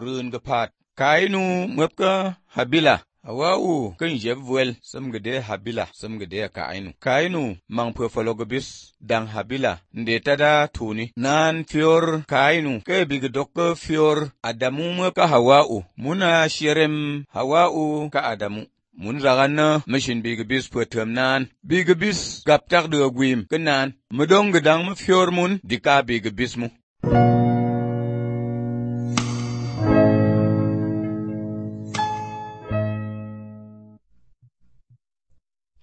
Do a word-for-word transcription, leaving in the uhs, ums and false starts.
run ga pat kainu mapka habila Hawa'u kan jebwel sam gade habila sam gade kainu kainu mang pofalogobis dang habila ndeta da tuni nan fior kainu ke bigdok fior adamu ka Hawa'u muna shirem Hawa'u ka adamu mun ragana mishin bigabis putem nan bigabis gaptak de gwim kenan mudong gedang fior mun dika bigabis mu